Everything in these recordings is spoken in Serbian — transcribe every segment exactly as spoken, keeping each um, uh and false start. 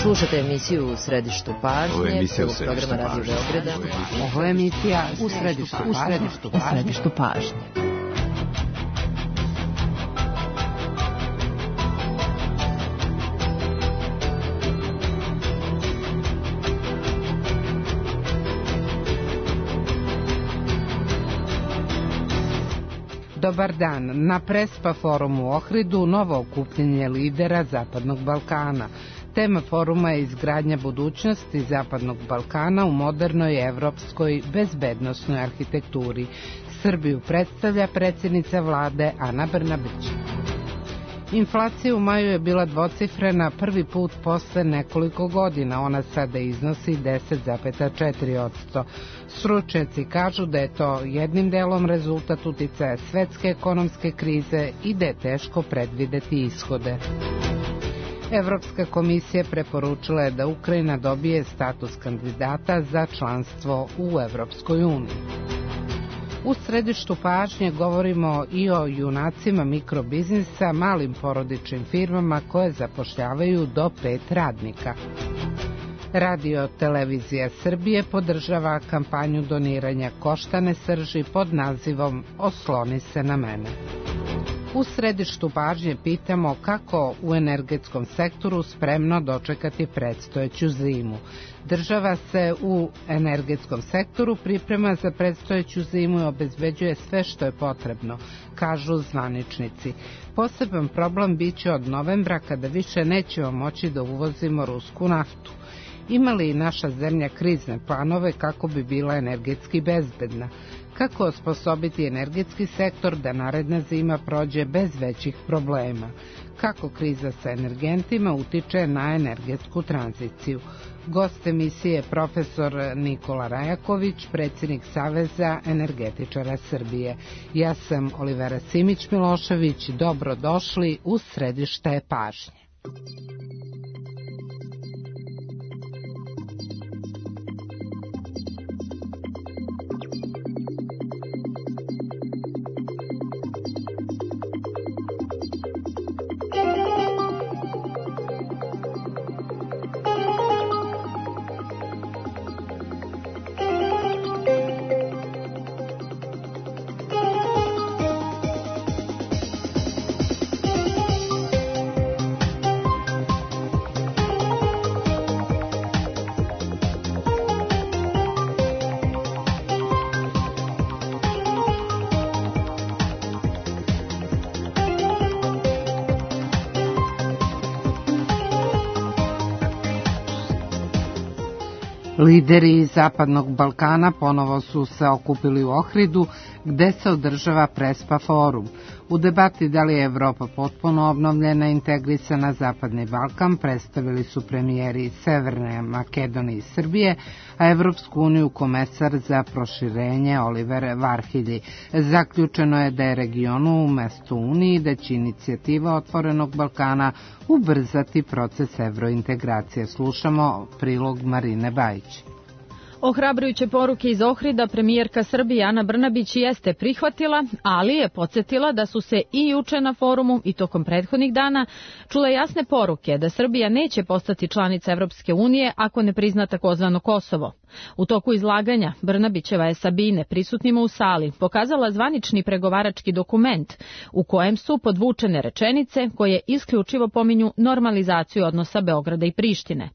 Slušate emisiju U središtu pažnje, Ovo je emisija U središtu programa Radio Beograda. Ovo je emisija U središtu pažnje. U središtu pažnje. Dobar dan. Na Prespa forumu u Ohridu novo okupljenje lidera Zapadnog Balkana. Tema foruma je izgradnja budućnosti Zapadnog Balkana u modernoj evropskoj bezbednosnoj arhitekturi. Srbiju predstavlja predsjednica vlade Ana Brnabić. Inflacija u maju je bila dvocifrena prvi put posle nekoliko godina. Ona sada iznosi deset zarez četiri posto. Stručnjaci kažu da je to jednim delom rezultat uticaja svetske ekonomske krize i da je teško predvideti ishode. Evropska komisija preporučila je da Ukrajina dobije status kandidata za članstvo u Evropskoj uniji. U središtu pažnje govorimo i o junacima mikrobiznisa, malim porodičnim firmama koje zapošljavaju do pet radnika. Radio Televizija Srbije podržava kampanju doniranja koštane srži pod nazivom Osloni se na mene. U središtu pažnje pitamo kako u energetskom sektoru spremno dočekati predstojeću zimu. Država se u energetskom sektoru priprema za predstojeću zimu i obezbeđuje sve što je potrebno, kažu zvaničnici. Poseban problem biće od novembra kada više nećemo moći da uvozimo rusku naftu. Ima li naša zemlja krizne planove kako bi bila energetski bezbedna? Kako osposobiti energetski sektor da naredna zima prođe bez većih problema? Kako kriza sa energentima utiče na energetsku tranziciju? Gost emisije je profesor Nikola Rajaković, predsjednik Saveza energetičara Srbije. Ja sam Olivera Simić-Milošević, dobrodošli u središte pažnje. Lideri Zapadnog Balkana ponovo su se okupili u Ohridu, gde se održava Prespa forum. U debati da li je Evropa potpuno obnovljena i integrisana Zapadni Balkan predstavili su premijeri Severne Makedonije i Srbije, a Evropsku uniju komesar za proširenje Oliver Varhelyi. Zaključeno je da je regionu umesto Uniji da će inicijativa Otvorenog Balkana ubrzati proces evrointegracije. Slušamo prilog Marine Bajić. Ohrabrujuće poruke iz Ohrida premijerka Srbije Ana Brnabić jeste prihvatila, ali je podsjetila da su se i juče na forumu i tokom prethodnih dana čule jasne poruke da Srbija neće postati članica Evropske unije ako ne prizna takozvano Kosovo. U toku izlaganja Brnabićeva je Sabine prisutnima u sali pokazala zvanični pregovarački dokument u kojem su podvučene rečenice koje isključivo pominju normalizaciju odnosa Beograda i Prištine.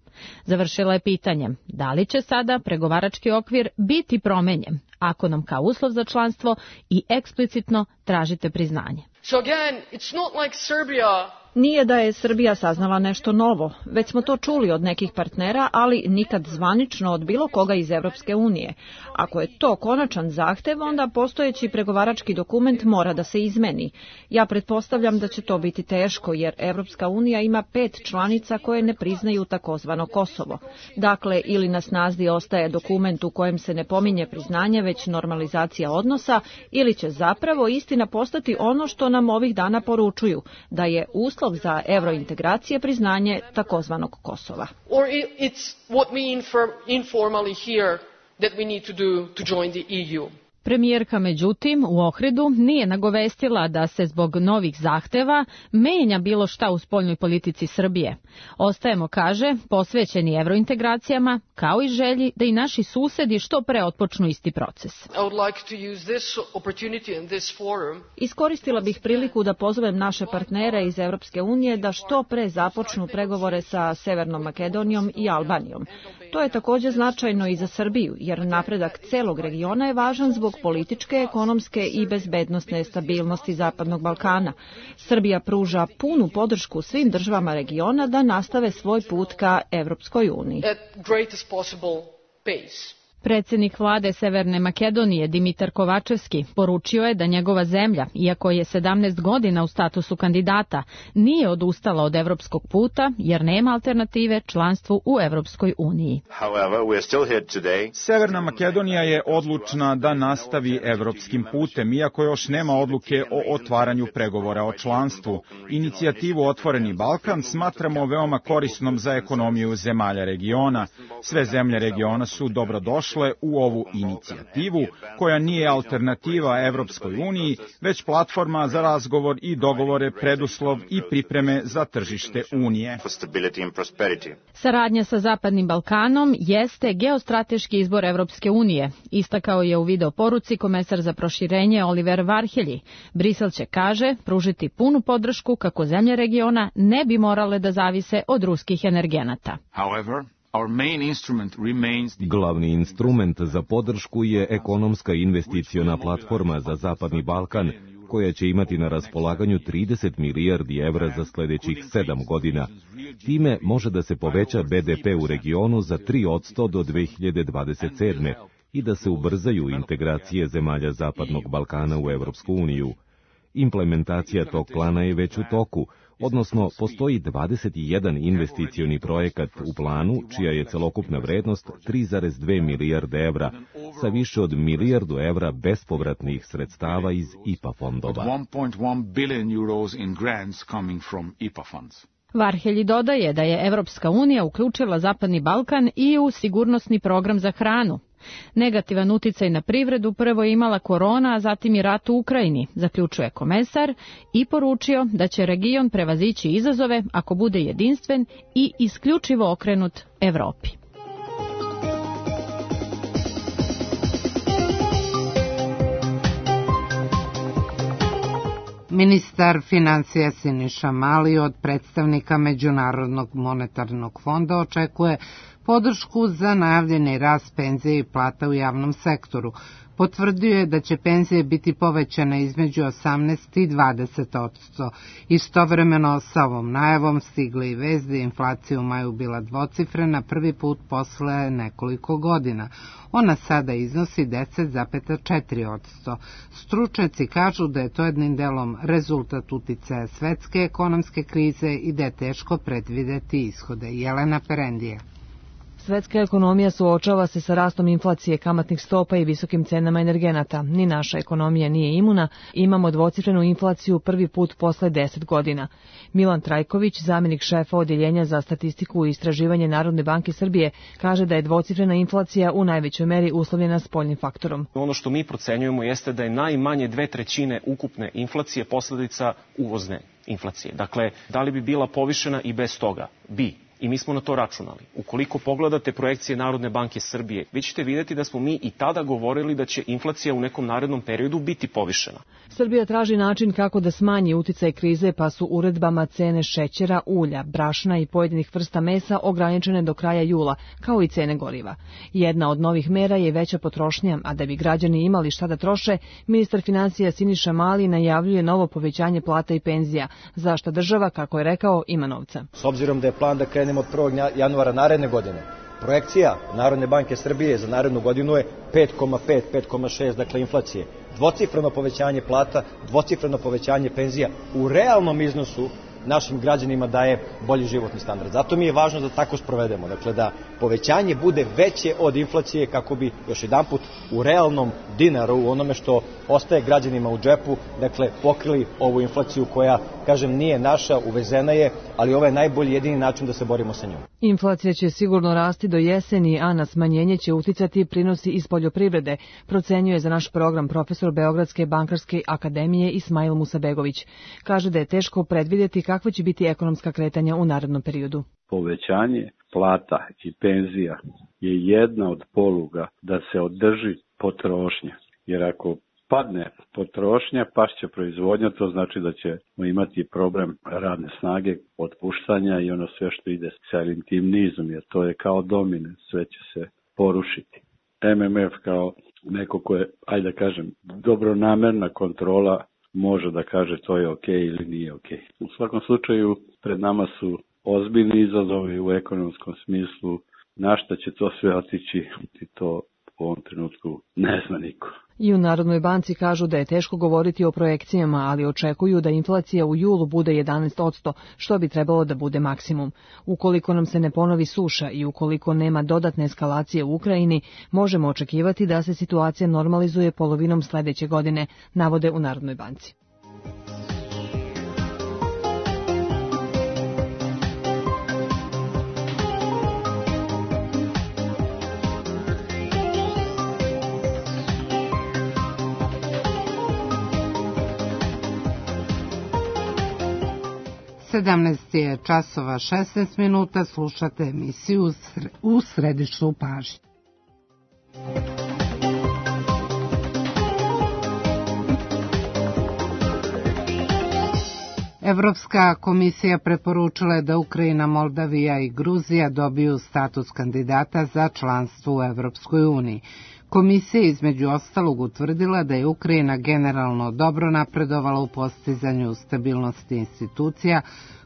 Završila je pitanjem da li će sada pregovarački okvir biti promenjen ako nam kao uslov za članstvo i eksplicitno tražite priznanje. So again, it's not like Serbia... Nije da je Srbija saznala nešto novo, već smo to čuli od nekih partnera, ali nikad zvanično od bilo koga iz Evropske unije. Ako je to konačan zahtev, onda postojeći pregovarački dokument mora da se izmeni. Ja pretpostavljam da će to biti teško, jer Evropska unija ima pet članica koje ne priznaju takozvano Kosovo. Dakle, ili na snazi ostaje dokument u kojem se ne pominje priznanje, već normalizacija odnosa, ili će zapravo istina postati ono što nam ovih dana poručuju, da je uslov za evrointegracije priznanje takozvanog Kosova. Or it's what we informally hear that we need to do to join the E U. Premijerka, međutim, u Ohridu nije nagovestila da se zbog novih zahteva menja bilo šta u spoljnoj politici Srbije. Ostajemo, kaže, posvećeni evrointegracijama, kao i želji da i naši susedi što pre otpočnu isti proces. Iskoristila bih priliku da pozovem naše partnere iz Evropske unije da što pre započnu pregovore sa Severnom Makedonijom i Albanijom. To je također značajno i za Srbiju, jer napredak celog regiona je važan zbog političke, ekonomske i bezbednosne stabilnosti Zapadnog Balkana. Srbija pruža punu podršku svim državama regiona da nastave svoj put ka Evropskoj uniji. Predsjednik vlade Severne Makedonije Dimitar Kovačevski poručio je da njegova zemlja, iako je sedamnaest godina u statusu kandidata, nije odustala od evropskog puta jer nema alternative članstvu u Evropskoj uniji. Severna Makedonija je odlučna da nastavi evropskim putem, iako još nema odluke o otvaranju pregovora o članstvu. Inicijativu Otvoreni Balkan smatramo veoma korisnom za ekonomiju zemalja regiona. Sve zemlje regiona su dobrodošle u ovu inicijativu, koja nije alternativa Evropskoj uniji, već platforma za razgovor i dogovore, preduslov i pripreme za tržište Unije. Saradnja sa Zapadnim Balkanom jeste geostrateški izbor Evropske unije, istakao je u video poruci komesar za proširenje Oliver Varhelji. Brisel će, kaže, pružiti punu podršku kako zemlje regiona ne bi morale da zavise od ruskih energenata. However, Our main instrument remains the... Glavni instrument za podršku je ekonomska investiciona platforma za Zapadni Balkan, koja će imati na raspolaganju trideset milijardi evra za sljedećih sedam godina. Time može da se poveća be de pe u regionu za tri posto do dve hiljade dvadeset sedme i da se ubrzaju integracije zemalja Zapadnog Balkana u Evropsku uniju. Implementacija tog plana je već u toku, odnosno postoji dvadeset jedan investicioni projekat u planu, čija je celokupna vrednost tri zarez dve milijarde evra, sa više od milijardu evra bespovratnih sredstava iz I P A fondova. one point one billion euros in grants coming from I P A funds. Varhelji dodaje da je Evropska unija uključila Zapadni Balkan i u sigurnosni program za hranu. Negativan uticaj na privredu prvo je imala korona, a zatim i rat u Ukrajini, zaključuje komesar i poručio da će region prevazići izazove ako bude jedinstven i isključivo okrenut Evropi. Ministar financija Siniša Mali od predstavnika Međunarodnog monetarnog fonda očekuje podršku za najavljeni rast penzije i plata u javnom sektoru. Potvrdio je da će penzije biti povećane između osamnaest i dvadeset posto. Istovremeno sa ovom najavom stigli i vest da je inflacija u maju bila dvocifrena prvi put posle nekoliko godina. Ona sada iznosi deset zarez četiri posto. Stručnjaci kažu da je to jednim delom rezultat uticaja svetske ekonomske krize i da je teško predvideti ishode. Jelena Perendija. Svetska ekonomija suočava se sa rastom inflacije, kamatnih stopa i visokim cenama energenata. Ni naša ekonomija nije imuna, imamo dvocifrenu inflaciju prvi put posle deset godina. Milan Trajković, zamjenik šefa Odjeljenja za statistiku i istraživanje Narodne banke Srbije, kaže da je dvocifrena inflacija u najvećoj meri uslovljena spoljnim faktorom. Ono što mi procenjujemo jeste da je najmanje dve trećine ukupne inflacije posledica uvozne inflacije. Dakle, da li bi bila povišena i bez toga? Bi. I mi smo na to računali. Ukoliko pogledate projekcije Narodne banke Srbije, vi ćete vidjeti da smo mi i tada govorili da će inflacija u nekom narednom periodu biti povišena. Srbija traži način kako da smanji uticaj krize, pa su uredbama cene šećera, ulja, brašna i pojedinih vrsta mesa ograničene do kraja jula, kao i cene goriva. Jedna od novih mera je veća potrošnja, a da bi građani imali šta da troše, ministar financija Siniša Mali najavljuje novo povećanje plata i penzija, za šta država, kako je rekao, ima novca. S obzirom da je plan da krenemo od prvog januara naredne godine, projekcija Narodne banke Srbije za narednu godinu je pet zarez pet, pet zarez šest, dakle inflacije. Dvocifreno povećanje plata, dvocifreno povećanje penzija u realnom iznosu našim građanima daje bolji životni standard. Zato mi je važno da tako sprovedemo, dakle da povećanje bude veće od inflacije kako bi još jedanput u realnom dinaru, u onome što ostaje građanima u džepu, dakle pokrili ovu inflaciju koja, kažem, nije naša, uvezena je, ali ovo je najbolji jedini način da se borimo sa njom. Inflacija će sigurno rasti do jeseni, a na smanjenje će uticati prinosi iz poljoprivrede, procenjuje za naš program profesor Beogradske bankarske akademije Ismail Musabegović. Kaže da je teško predvidjeti kakva će biti ekonomska kretanja u narednom periodu. Povećanje plata i penzija je jedna od poluga da se održi potrošnja, jer ako padne potrošnja, pašće proizvodnja, to znači da ćemo imati problem radne snage, otpuštanja i ono sve što ide sa tim nizom, jer to je kao domine, sve će se porušiti. M M F kao neko ko je, ajde da kažem, dobronamerna kontrola može da kaže to je ok ili nije ok. U svakom slučaju pred nama su ozbiljni izazovi u ekonomskom smislu, na šta će to sve otići i to u ovom trenutku ne zna niko. I u Narodnoj banci kažu da je teško govoriti o projekcijama, ali očekuju da inflacija u julu bude jedanaest posto, što bi trebalo da bude maksimum. Ukoliko nam se ne ponovi suša i ukoliko nema dodatne eskalacije u Ukrajini, možemo očekivati da se situacija normalizuje polovinom sledeće godine, navode u Narodnoj banci. sedamnaest je časova šesnaest minuta, slušate emisiju U središtu pažnje. Evropska komisija preporučila je da Ukrajina, Moldavija i Gruzija dobiju status kandidata za članstvo u Evropskoj uniji. Komisija je između ostalog utvrdila da je Ukrajina generalno dobro napredovala u postizanju stabilnosti institucija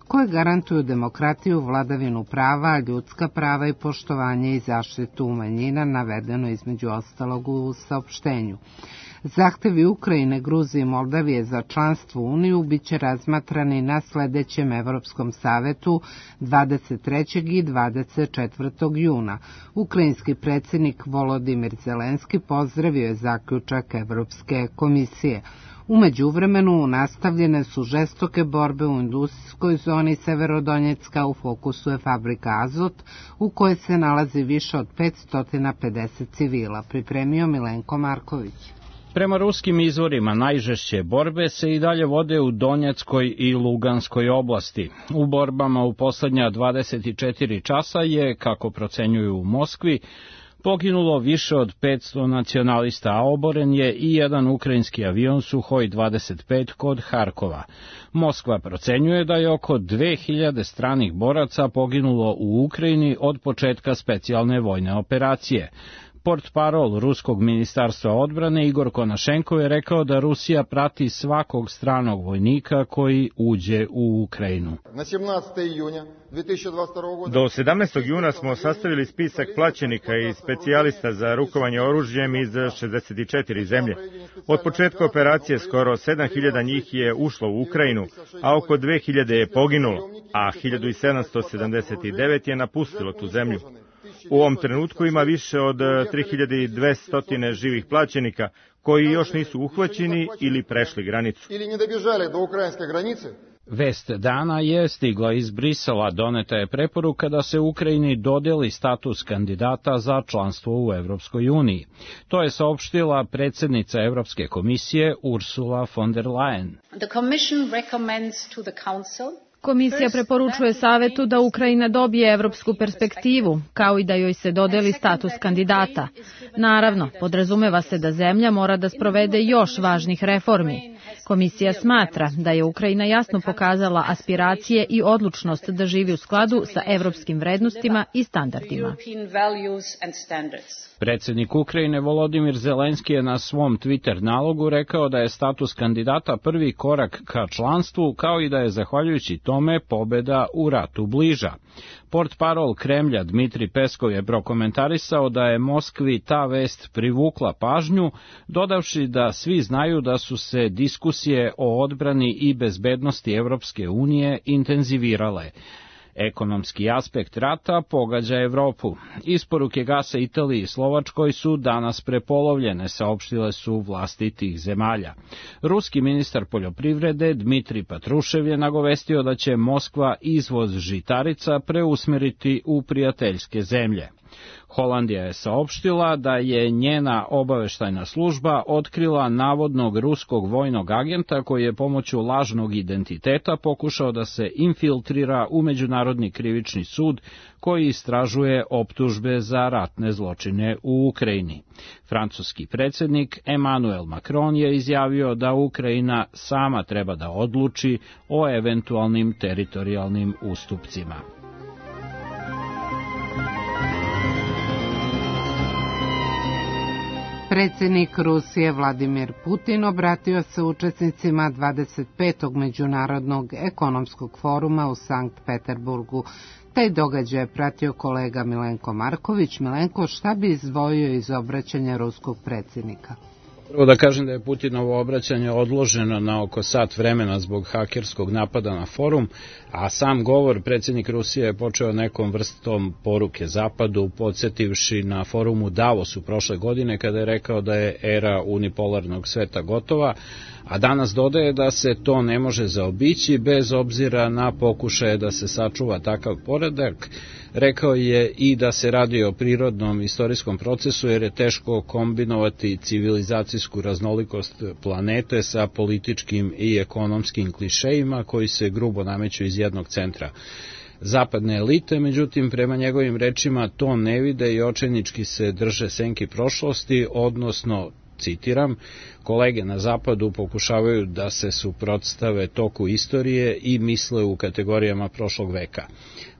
koje garantuju demokratiju, vladavinu prava, ljudska prava i poštovanje i zaštitu manjina, navedeno između ostalog u saopštenju. Zahtevi Ukrajine, Gruzije i Moldavije za članstvo u Uniju biće razmatrani na sledećem Evropskom savetu dvadeset trećeg i dvadeset četvrtog juna. Ukrajinski predsjednik Volodimir Zelenski pozdravio je zaključak Evropske komisije. U međuvremenu nastavljene su žestoke borbe u industrijskoj zoni Severodonjecka, u fokusu je fabrika Azot, u kojoj se nalazi više od petsto pedeset civila, pripremio Milenko Marković. Prema ruskim izvorima, najžešće borbe se i dalje vode u Donjeckoj i Luganskoj oblasti. U borbama u poslednja dvadeset četiri časa je, kako procenjuju u Moskvi, poginulo više od petsto nacionalista, a oboren je i jedan ukrajinski avion Suhoj dvadeset pet kod Harkova. Moskva procenjuje da je oko dve hiljade stranih boraca poginulo u Ukrajini od početka specijalne vojne operacije. Portparol Ruskog ministarstva odbrane Igor Konašenko je rekao da Rusija prati svakog stranog vojnika koji uđe u Ukrajinu. Do sedamnaestog juna smo sastavili spisak plaćenika i specijalista za rukovanje oružjem iz šezdeset četiri zemlje. Od početka operacije skoro sedam hiljada njih je ušlo u Ukrajinu, a oko dve hiljade je poginulo, a hiljadu sedamsto sedamdeset devet je napustilo tu zemlju. U ovom trenutku ima više od tri hiljade dvesta živih plaćenika koji još nisu uhvaćeni ili prešli granicu. Vest dana je stigla iz Brisela, doneta je preporuka da se Ukrajini dodeli status kandidata za članstvo u Evropskoj uniji. To je saopštila predsjednica Evropske komisije Ursula von der Leyen. The Commission recommends to the Council Komisija preporučuje Savetu da Ukrajina dobije evropsku perspektivu, kao i da joj se dodeli status kandidata. Naravno, podrazumeva se da zemlja mora da sprovede još važnih reformi. Komisija smatra da je Ukrajina jasno pokazala aspiracije i odlučnost da živi u skladu sa evropskim vrednostima i standardima. Predsjednik Ukrajine Volodimir Zelenski je na svom Twitter nalogu rekao da je status kandidata prvi korak ka članstvu, kao i da je zahvaljujući tome pobeda u ratu bliža. Portparol Kremlja Dmitri Peskov je prokomentarisao da je Moskvi ta vest privukla pažnju, dodavši da svi znaju da su se diskusije o odbrani i bezbednosti Evropske unije intenzivirale. Ekonomski aspekt rata pogađa Evropu. Isporuke gasa Italiji i Slovačkoj su danas prepolovljene, saopštile su vlasti tih zemalja. Ruski ministar poljoprivrede Dmitrij Patrušev je nagovestio da će Moskva izvoz žitarica preusmeriti u prijateljske zemlje. Holandija je saopštila da je njena obaveštajna služba otkrila navodnog ruskog vojnog agenta koji je pomoću lažnog identiteta pokušao da se infiltrira u Međunarodni krivični sud koji istražuje optužbe za ratne zločine u Ukrajini. Francuski predsjednik Emmanuel Macron je izjavio da Ukrajina sama treba da odluči o eventualnim teritorijalnim ustupcima. Predsjednik Rusije Vladimir Putin obratio se učesnicima dvadeset petog Međunarodnog ekonomskog foruma u Sankt Peterburgu. Taj događaj je pratio kolega Milenko Marković. Milenko, šta bi izdvojio iz obraćanja ruskog predsjednika? Prvo da kažem da je Putinovo obraćanje odloženo na oko sat vremena zbog hakerskog napada na forum, a sam govor predsjednik Rusije je počeo nekom vrstom poruke Zapadu, podsjetivši na forumu Davosu prošle godine kada je rekao da je era unipolarnog sveta gotova, a danas dodaje da se to ne može zaobići bez obzira na pokušaje da se sačuva takav poredak. Rekao je i da se radi o prirodnom istorijskom procesu jer je teško kombinovati civilizacijsku raznolikost planete sa političkim i ekonomskim klišejima koji se grubo nameću iz jednog centra. Zapadne elite, međutim, prema njegovim rečima to ne vide i očajnički se drže senki prošlosti, odnosno, citiram, kolege na zapadu pokušavaju da se suprotstave toku istorije i misle u kategorijama prošlog veka.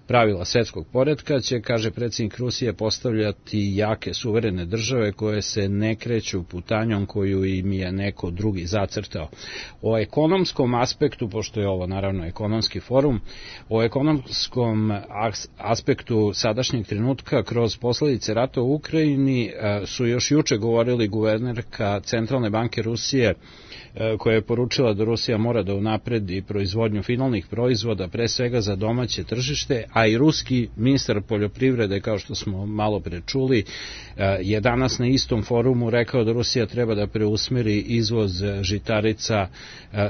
Pravila svetskog poretka će, kaže predsjednik Rusije, postavljati jake suverene države koje se ne kreću putanjom koju im je neko drugi zacrtao. O ekonomskom aspektu, pošto je ovo naravno ekonomski forum, o ekonomskom aspektu sadašnjeg trenutka kroz posledice rata u Ukrajini su još juče govorili guvernerka Centralne banke Rusije, koja je poručila da Rusija mora da unapredi proizvodnju finalnih proizvoda, pre svega za domaće tržište, a i ruski ministar poljoprivrede, kao što smo malo pre čuli, je danas na istom forumu rekao da Rusija treba da preusmeri izvoz žitarica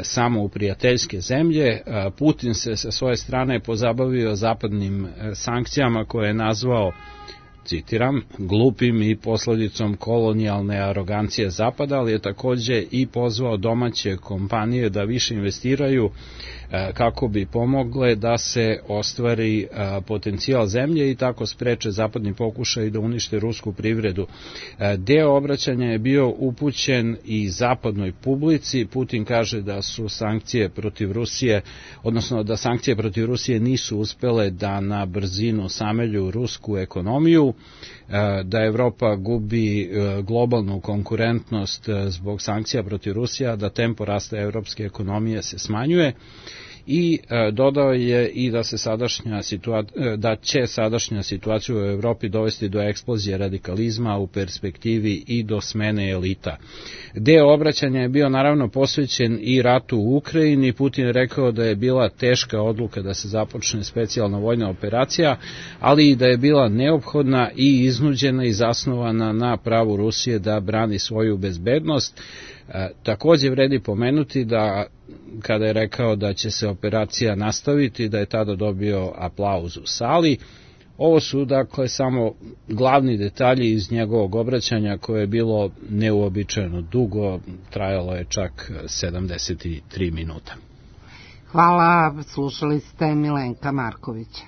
samo u prijateljske zemlje. Putin se sa svoje strane pozabavio zapadnim sankcijama koje je nazvao, citiram, glupim i posledicom kolonijalne arogancije Zapada, ali je takođe i pozvao domaće kompanije da više investiraju kako bi pomogle da se ostvari potencijal zemlje i tako spreče zapadni pokušaj da unište rusku privredu. Deo obraćanja je bio upućen i zapadnoj publici. Putin kaže da su sankcije protiv Rusije, odnosno da sankcije protiv Rusije nisu uspele da na brzinu samelju rusku ekonomiju, da Evropa gubi globalnu konkurentnost zbog sankcija protiv Rusije, da tempo rasta evropske ekonomije se smanjuje. I e, dodao je i da se sadašnja situacija, da će sadašnja situacija u Evropi dovesti do eksplozije radikalizma u perspektivi i do smene elita. Deo obraćanja je bio naravno posvećen i ratu u Ukrajini. Putin je rekao da je bila teška odluka da se započne specijalna vojna operacija, ali i da je bila neophodna i iznuđena i zasnovana na pravu Rusije da brani svoju bezbednost. E, takođe vredi pomenuti da kada je rekao da će se operacija nastaviti, da je tada dobio aplauz u sali. Ovo su dakle samo glavni detalji iz njegovog obraćanja koje je bilo neuobičajeno dugo, trajalo je čak sedamdeset tri minuta. Hvala, slušali ste Milenka Markovića.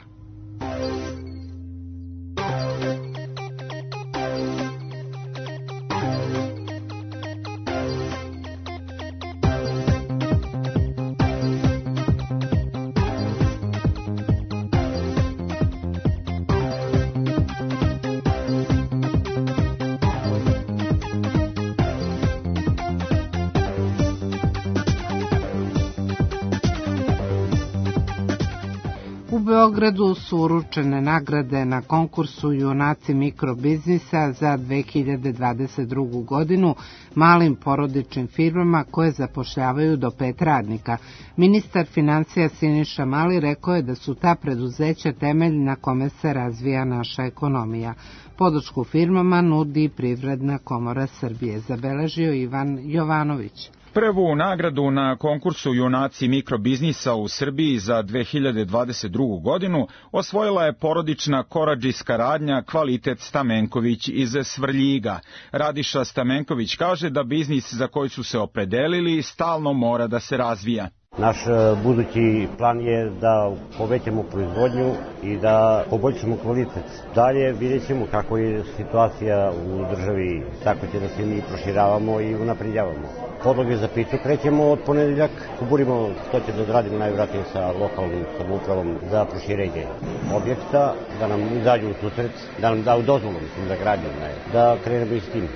Beogradu su uručene nagrade na konkursu Junaci mikrobiznisa za dve hiljade dvadeset drugu godinu malim porodičnim firmama koje zapošljavaju do pet radnika. Ministar financija Siniša Mali rekao je da su ta preduzeća temelj na kome se razvija naša ekonomija. Podršku firmama nudi Privredna komora Srbije, zabeležio Ivan Jovanović. Prvu nagradu na konkursu Junaci mikrobiznisa u Srbiji za dve hiljade dvadeset drugu godinu osvojila je porodična koradžijska radnja Kvalitet Stamenković iz Svrljiga. Radiša Stamenković kaže da biznis za koji su se opredelili stalno mora da se razvija. Naš budući plan je da povećamo proizvodnju i da poboljšamo kvalitet. Dalje vidjet ćemo kako je situacija u državi, tako će da se mi proširavamo i unapređavamo. Podloge za pitu krećemo od ponedeljak, kuburimo što će da odradimo najvratnije sa lokalnim samoupravom za proširenje objekta, da nam izađu u susret, da nam daju dozvolu, mislim, za gradnju, da krenemo i s tim.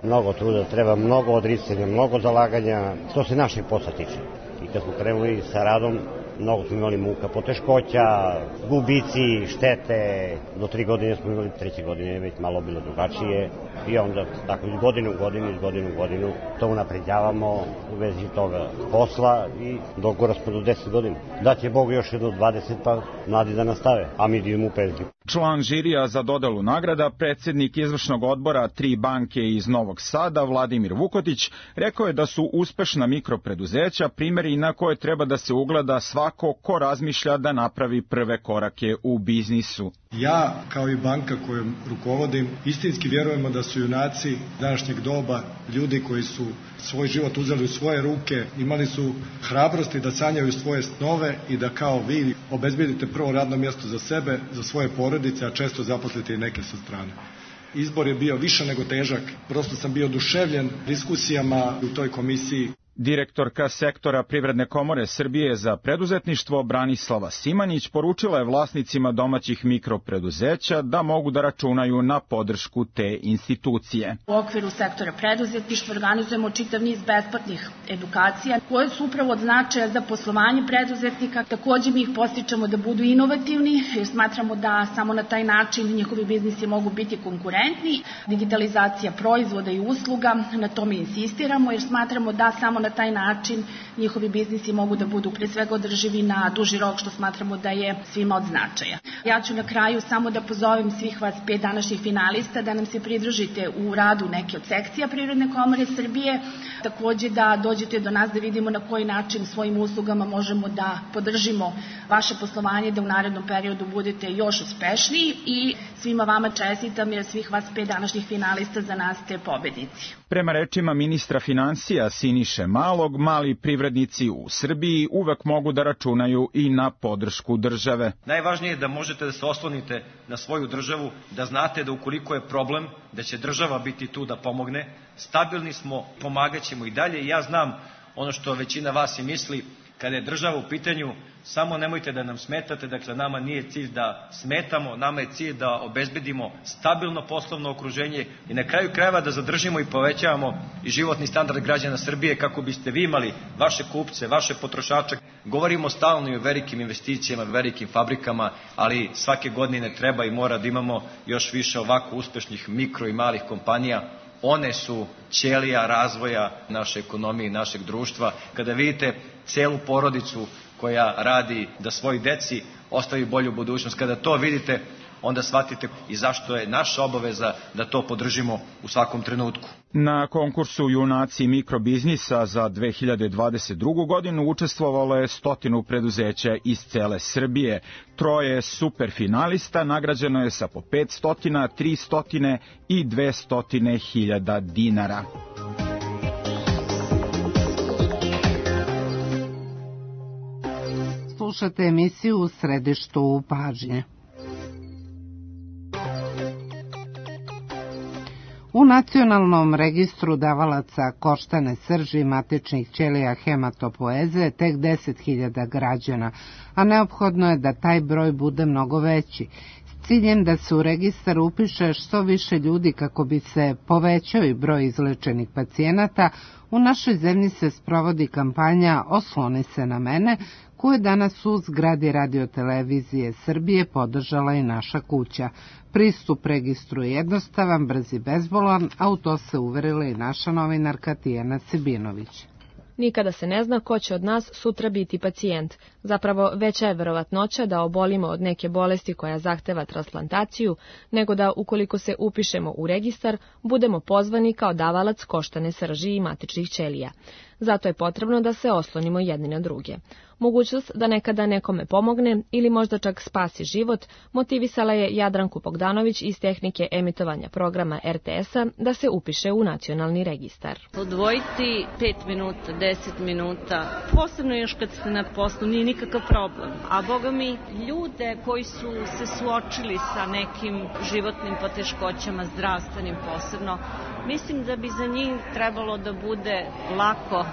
Mnogo truda treba, mnogo odricanja, mnogo zalaganja, što se našeg posla tiče. I kad smo krenuli sa radom, mnogo smo imali muka, poteškoća, gubici, štete. Do tri godine smo imali, treće godine već malo bilo drugačije. I onda tako iz godine u godinu, iz godine u godinu to unapređavamo u vezi toga posla i dogora smo do deset godina. Da će Bog još jedno dvadeset, pa mladi da nastave, a mi idemo u penziju. Član žirija za dodelu nagrada, predsjednik izvršnog odbora Tri banke iz Novog Sada, Vladimir Vukotić, rekao je da su uspešna mikropreduzeća primjeri na koje treba da se ugleda svako ko razmišlja da napravi prve korake u biznisu. Ja, kao i banka kojom rukovodim, istinski vjerujemo da su junaci današnjeg doba ljudi koji su svoj život uzeli u svoje ruke, imali su hrabrosti da sanjaju svoje snove i da kao vi obezbedite prvo radno mjesto za sebe, za svoje porodice, a često zaposlite i neke sa strane. Izbor je bio više nego težak, prosto sam bio oduševljen diskusijama u toj komisiji. Direktorka sektora Privredne komore Srbije za preduzetništvo Branislava Simanjić poručila je vlasnicima domaćih mikropreduzeća da mogu da računaju na podršku te institucije. U okviru sektora preduzetništva organizujemo čitav niz besplatnih edukacija koje su upravo od značaja za poslovanje preduzetnika. Također mi ih podstičemo da budu inovativni jer smatramo da samo na taj način njihovi biznisi mogu biti konkurentni. Digitalizacija proizvoda i usluga, na tome insistiramo jer smatramo da samo na taj način njihovi biznisi mogu da budu pre svega održivi na duži rok, što smatramo da je svima od značaja. Ja ću na kraju samo da pozovem svih vas pet današnjih finalista da nam se pridružite u radu neke od sekcija Privredne komore Srbije, također da dođete do nas da vidimo na koji način svojim uslugama možemo da podržimo vaše poslovanje, da u narednom periodu budete još uspešniji i svima vama čestitam jer svih vas pet današnjih finalista za nas ste pobednici. Prema rečima ministra financija Siniše Malog, mali privrednici u Srbiji uvek mogu da računaju i na podršku države. Najvažnije je da možete da se oslonite na svoju državu, da znate da ukoliko je problem, da će država biti tu da pomogne. Stabilni smo, pomagat ćemo i dalje i ja znam ono što većina vas i misli, kada je država u pitanju, samo nemojte da nam smetate, dakle nama nije cilj da smetamo, nama je cilj da obezbedimo stabilno poslovno okruženje i na kraju krajeva da zadržimo i povećavamo i životni standard građana Srbije kako biste vi imali vaše kupce, vaše potrošače. Govorimo stalno i o velikim investicijama, velikim fabrikama, ali svake godine treba i mora da imamo još više ovako uspešnih mikro i malih kompanija. One su ćelija razvoja naše ekonomije i našeg društva. Kada vidite celu porodicu koja radi da svoj deci ostavi bolju budućnost, kada to vidite, onda shvatite i zašto je naša obaveza da to podržimo u svakom trenutku. Na konkursu Junaci mikrobiznisa za dve hiljade dvadeset drugu godinu učestvovalo je stotinu preduzeća iz cele Srbije. Troje superfinalista nagrađeno je sa po pet stotina, tri stotine i dve stotine hiljada dinara. Slušate emisiju U središtu pažnje. U Nacionalnom registru davalaca koštane srži matičnih ćelija hematopoeze tek deset hiljada građana, a neophodno je da taj broj bude mnogo veći, s ciljem da se u registar upiše što više ljudi kako bi se povećao i broj izlečenih pacijenata. U našoj zemlji se sprovodi kampanja Osloni se na mene, koje danas u zgradi Radio-televizije Srbije podržala i naša kuća. Pristup registru je jednostavan, brz i bezbolan, a u to se uverila i naša novinarka Tijana Sebinović. Nikada se ne zna ko će od nas sutra biti pacijent. Zapravo, veća je verovatnoća da obolimo od neke bolesti koja zahteva transplantaciju, nego da, ukoliko se upišemo u registar, budemo pozvani kao davalac koštane srži i matičnih ćelija. Zato je potrebno da se oslonimo jedni na druge. Mogućnost da nekada nekome pomogne ili možda čak spasi život motivisala je Jadranku Bogdanović iz tehnike emitovanja programa er te es-a da se upiše u nacionalni registar. Odvojiti pet minuta, deset minuta, posebno još kad ste na poslu, nije nikakav problem. A boga mi, ljude koji su se suočili sa nekim životnim poteškoćama, zdravstvenim posebno, mislim da bi za njih trebalo da bude lako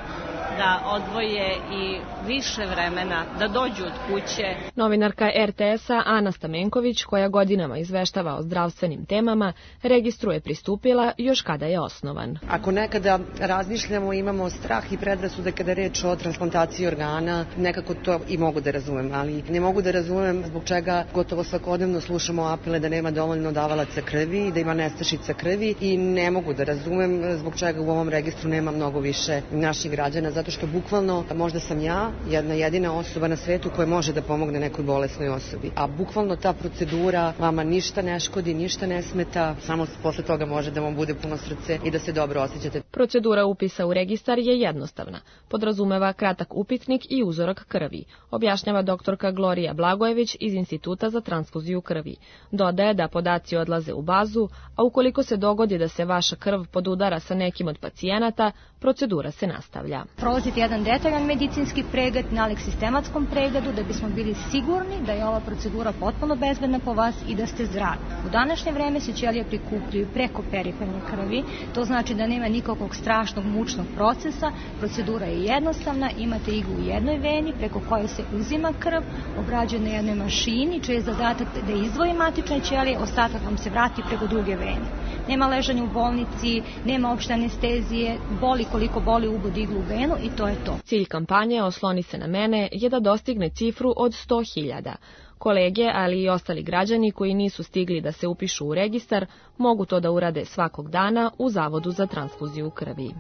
da odvoje i više vremena, da dođu od kuće. Novinarka er te es-a Ana Stamenković, koja godinama izveštava o zdravstvenim temama, registru je pristupila još kada je osnovan. Ako nekada razmišljamo, imamo strah i predrasude kada je reč o transplantaciji organa, nekako to i mogu da razumem, ali ne mogu da razumem zbog čega gotovo svakodnevno slušamo apele da nema dovoljno davalaca krvi, da ima nestašica krvi i ne mogu da razumem zbog čega u ovom registru nema mnogo više naših građana, zato što bukvalno možda sam ja jedna jedina osoba na svetu koja može da pomogne nekoj bolesnoj osobi. A bukvalno ta procedura vama ništa ne škodi, ništa ne smeta, samo posle toga može da vam bude puno srce i da se dobro osjećate. Procedura upisa u registar je jednostavna. Podrazumeva kratak upitnik i uzorak krvi, objašnjava doktorka Glorija Blagojević iz Instituta za transfuziju krvi. Dodaje da podaci odlaze u bazu, a ukoliko se dogodi da se vaša krv podudara sa nekim od pacijenata, procedura se nastavlja. Prolazite jedan detaljan medicinski pregled, nalik sistematskom pregledu da bismo bili sigurni da je ova procedura potpuno bezbedna po vas i da ste zdravi. U današnje vreme se ćelije prikupljaju preko periferne krvi, to znači da nema nikakvog strašnog mučnog procesa, procedura je jednostavna, imate iglu u jednoj veni preko koje se uzima krv, obrađuje na jednoj mašini, čiji je zadatak da izdvoji matične ćelije, ostatak vam se vrati preko druge vene. Nema ležanja u bolnici, nema opšte anestezije, boli koliko boli ubod iglu u venu i to je to. Cilj kampanje Osloni se na mene je da dostigne cifru od sto hiljada. Kolege, ali i ostali građani koji nisu stigli da se upišu u registar, mogu to da urade svakog dana u Zavodu za transfuziju krvi.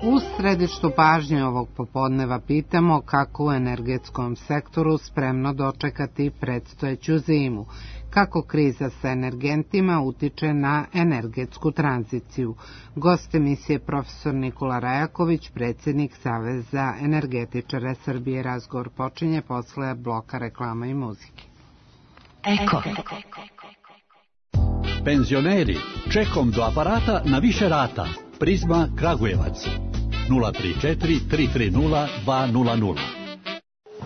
U središtu pažnje ovog popodneva pitamo kako u energetskom sektoru spremno dočekati predstojeću zimu, kako kriza sa energentima utiče na energetsku tranziciju. Gost emisije profesor Nikola Rajaković, predsjednik Saveza energetičara Srbije. Razgovor počinje posle bloka reklama i muzike. Eko. Penzioneri, čekom do aparata na više rata. Prizma Kragujevac. nula tri četiri tri tri nula dva nula nula.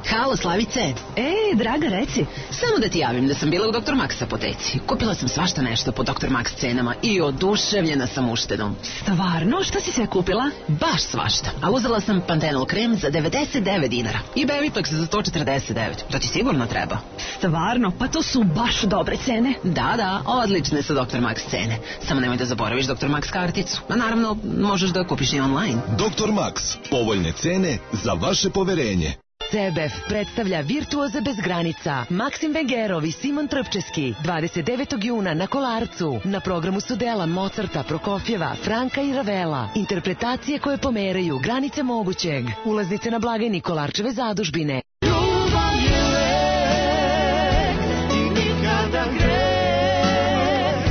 Halo, Slavice. E, draga, reci. Samo da ti javim da sam bila u doktor Max apoteci. Kupila sam svašta nešto po doktor Max cenama i oduševljena sam uštedom. Stvarno? Šta si sve kupila? Baš svašta. A uzela sam Pantenol krem za devedeset devet dinara i Bevitox za sto četrdeset devet. To ti sigurno treba. Stvarno? Pa to su baš dobre cene. Da, da, odlične su doktor Max cene. Samo nemoj da zaboraviš doktor Max karticu. A naravno, možeš da kupiš i online. doktor Max. Povoljne cene za vaše poverenje. C B F predstavlja Virtuoze bez granica. Maksim Vengerov i Simon Trpčeski dvadeset devetog juna na Kolarcu. Na programu su dela Mozarta, Prokofjeva, Franka i Ravela. Interpretacije koje pomeraju granice mogućeg. Ulaznice na blagajni Kolarčeve zadužbine. Ljubav je lek i nikada greh.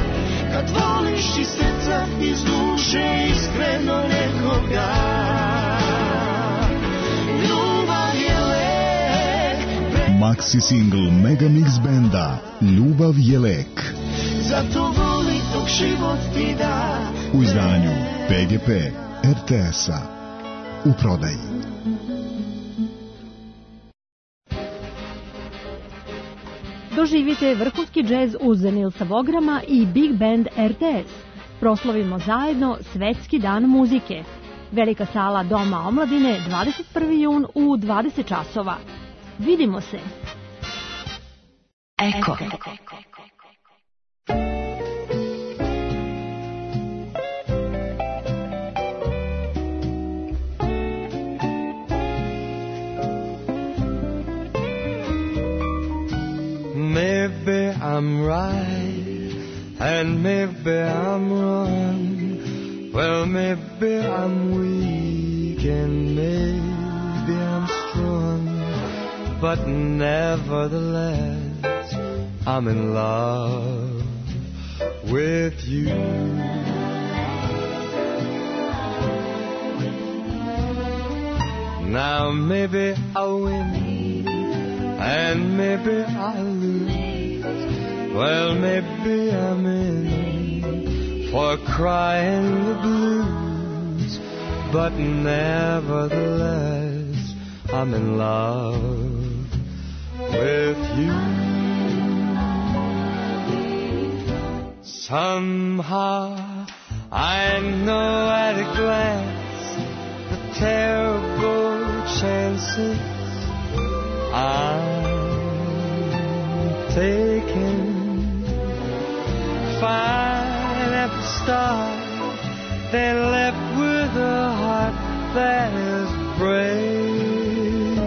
Kad voliš iz srca, iz duše, iskreno nekoga. Maxi single Mega Mix benda Ljubav je lek. Zato voli dok život ti da. U izdanju P G P R T S-a. U prodaji. Doživite vrhunski džez uz Nilsa Vograma i Big Band R T S. Proslavimo zajedno Svetski dan muzike. Velika sala Doma omladine dvadeset prvi jun u dvadeset časova. Vidimo se. Eko. I'm right, and maybe I'm wrong. Well, maybe I'm weak, and maybe I'm strong. But nevertheless, I'm in love with you. Now maybe I'll win, and maybe I'll lose. Well, maybe I'm in for crying the blues. But nevertheless, I'm in love with you. Somehow I know at a glance the terrible chances I'm taking. Fine at the start, then left with a heart that is breaking.